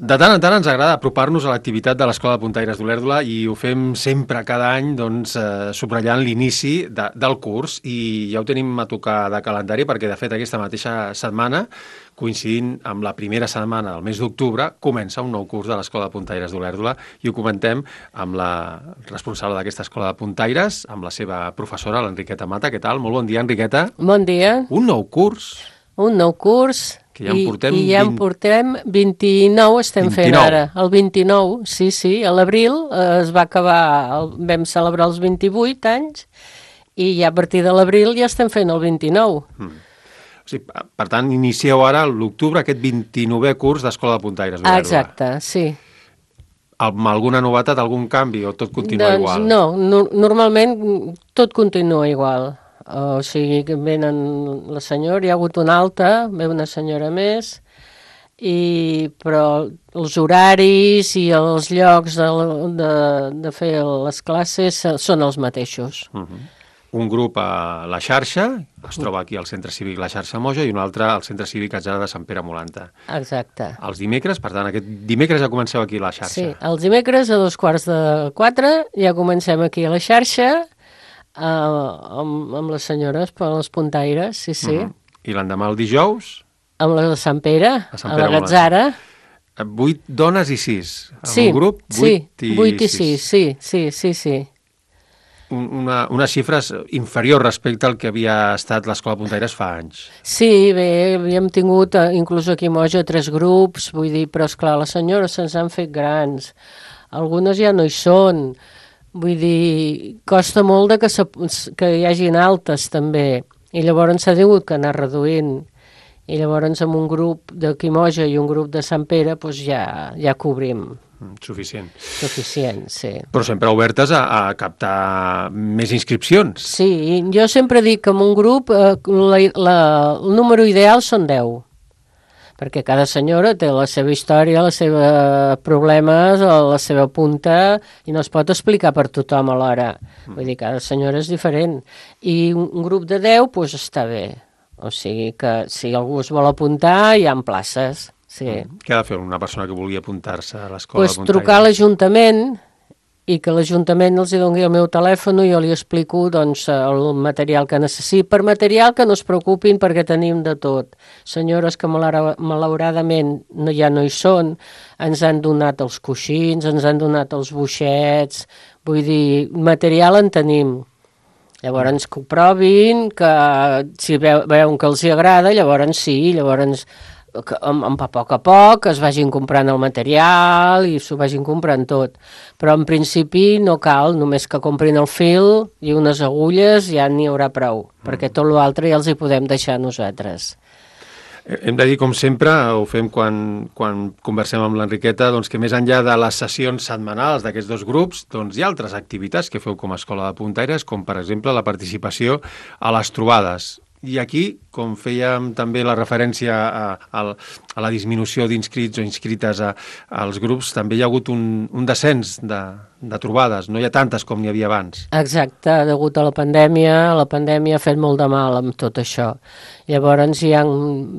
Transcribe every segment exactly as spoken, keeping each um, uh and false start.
De tant en tant ens agrada apropar-nos a l'activitat de l'Escola de Puntaires d'Olèrdola i ho fem sempre cada any doncs, eh, subratllant l'inici de, del curs i ja ho tenim a tocar de calendari perquè de fet aquesta mateixa setmana, coincidint amb la primera setmana del mes d'octubre, comença un nou curs de l'Escola de Puntaires d'Olèrdola i ho comentem amb la responsable d'aquesta Escola de Puntaires, amb la seva professora, l'Enriqueta Mata. Què tal? Molt bon dia, Enriqueta. Bon dia. Un nou curs. Un nou curs. Que ja en portem I, i ja en portem vint-i-nou, estem vint-i-nou. fent ara. El vint-i-nou, sí, sí. A l'abril eh, es va acabar, el, vam celebrar els vint-i-vuit anys i ja a partir de l'abril ja estem fent el vint-i-nou. Mm. O sigui, per tant, inicieu ara l'octubre aquest vint-i-novè curs d'Escola de Puntaires d'Olèrdola. Exacte, sí. Amb alguna novetat, algun canvi o tot continua doncs, igual? No, no, normalment tot continua igual. O sigui, que venen la senyora, hi ha hagut una alta, ve una senyora més, i, però els horaris i els llocs de, de, de fer les classes són els mateixos. Uh-huh. Un grup a la xarxa, es troba aquí al Centre Cívic La Xarxa Moja, i un altre al Centre Cívic Atzara de Sant Pere Molanta. Exacte. Els dimecres, per tant, aquest dimecres ja comenceu aquí a la xarxa. Sí, els dimecres a dos quarts de quatre ja comencem aquí a la xarxa, Uh, amb, amb les senyores, per les puntaires, sí, sí. Uh-huh. I l'endemà el dijous? Amb la de Sant Pere, a, Sant Pere a la Gatzara. Vuit dones i sis. En sí, un grup, vuit sí, i vuit i sis. sis, sí, sí, sí, sí. Una, unes xifres inferior respecte al que havia estat l'Escola de Puntaires fa anys. Sí, bé, havíem tingut, inclús aquí a Moja, tres grups, vull dir, però esclar, les senyores se'ns han fet grans. Algunes ja no hi són. Vull dir, costa molt de que, se, que hi hagin altes, també. I llavors s'ha tingut que anar reduint. I llavors amb un grup de Quimoja i un grup de Sant Pere doncs ja, ja cobrim. Suficient. Suficient, sí. Però sempre obertes a, a captar més inscripcions. Sí, jo sempre dic que en un grup eh, la, la, el número ideal són deu. Perquè cada senyora té la seva història, els seus problemes, la seva punta, i no es pot explicar per tothom alhora. Mm. Vull dir, cada senyora és diferent. I un, un grup de deu, doncs està bé. O sigui que si algú es vol apuntar, hi ha places. Sí. Mm. Què ha de fer una persona que vulgui apuntar-se a l'Escola pues de Puntaires? Trucar a l'Ajuntament i que l'Ajuntament els doni el meu telèfon i jo li explico doncs, el material que necessiti. Per material que no es preocupin perquè tenim de tot. Senyores que malauradament no, ja no hi són, ens han donat els coixins, ens han donat els boixets, vull dir, material en tenim. Llavors que ho provin, que si veuen que els hi agrada, llavors sí, llavors que a poc a poc es vagin comprant el material i s'ho vagin comprant tot. Però en principi no cal, només que comprin el fil i unes agulles ja n'hi haurà prou, mm. perquè tot l'altre ja els hi podem deixar nosaltres. Hem de dir, com sempre, ho fem quan, quan conversem amb l'Enriqueta, doncs que més enllà de les sessions setmanals d'aquests dos grups, doncs hi ha altres activitats que feu com a Escola de Puntaires, com per exemple la participació a les trobades. I aquí, com fèiem també la referència a, a, a la disminució d'inscrits o inscrites a, als grups, també hi ha hagut un, un descens de, de trobades, no hi ha tantes com n'hi havia abans. Exacte, degut a la pandèmia, la pandèmia ha fet molt de mal amb tot això. Llavors, hi ha,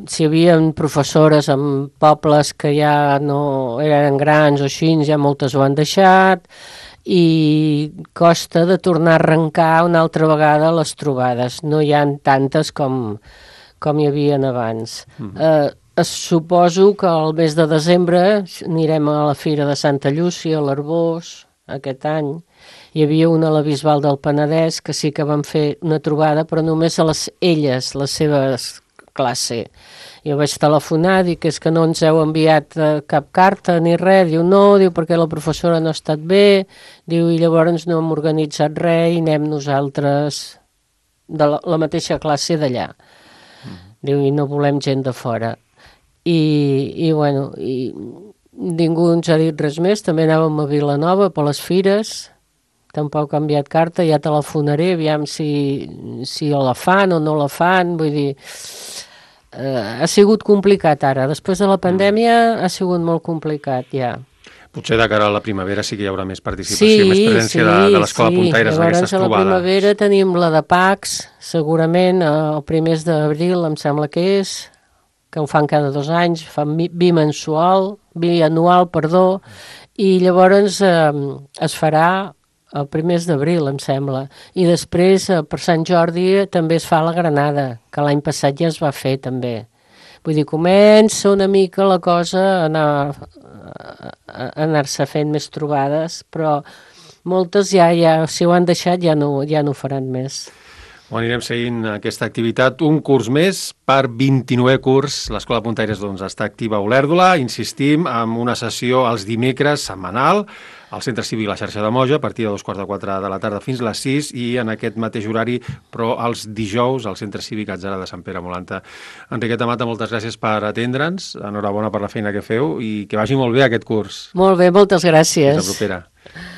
si hi havia professores en pobles que ja no eren grans o així, ja moltes ho han deixat, i costa de tornar a arrencar una altra vegada les trobades. No hi ha tantes com, com hi havia abans. Mm-hmm. eh, suposo que el mes de desembre anirem a la Fira de Santa Llúcia, a l'Arbós, aquest any. Hi havia una a la Bisbal del Penedès que sí que van fer una trobada, però només a les elles, les seves classe. Jo vaig telefonar, dic que és que no ens heu enviat eh, cap carta ni res, diu no, diu perquè la professora no ha estat bé, diu i llavors no hem organitzat res i anem nosaltres de la, la mateixa classe d'allà. Mm. Diu i no volem gent de fora. I, i bueno, i ningú ens ha dit res més, també anàvem a Vilanova per les fires, tampoc ha enviat carta, ja telefonaré, aviam si, si la fan o no la fan, vull dir... Uh, ha sigut complicat ara. Després de la pandèmia mm. ha sigut molt complicat, ja. Potser de cara a la primavera sí que hi haurà més participació, sí, més presència sí, de, de l'Escola sí. Puntaires en aquestes trobades. Llavors a la primavera tenim la de Pacs, segurament el primers d'abril em sembla que és, que ho fan cada dos anys, fan bimensual, bianual, perdó, i llavors eh, es farà el primers d'abril, em sembla. I després, eh, per Sant Jordi, també es fa la Granada, que l'any passat ja es va fer, també. Vull dir, comença una mica la cosa a anar, a anar-se fent més trobades, però moltes ja, ja si ho han deixat, ja no, ja no ho faran més. Ho anirem seguint aquesta activitat. Un curs més per vint-i-novè curs. L'Escola Puntaires doncs, està activa a Olèrdola. Insistim, amb una sessió els dimecres setmanal al Centre Cívic La Xarxa de Moja, a partir de dos quarts de quatre de la tarda fins les sis, i en aquest mateix horari, però els dijous, al Centre Cívic Atzara de Sant Pere Molanta. Enriqueta Mata, moltes gràcies per atendre'ns. Enhorabona per la feina que feu i que vagi molt bé aquest curs. Molt bé, moltes gràcies. Fins la propera.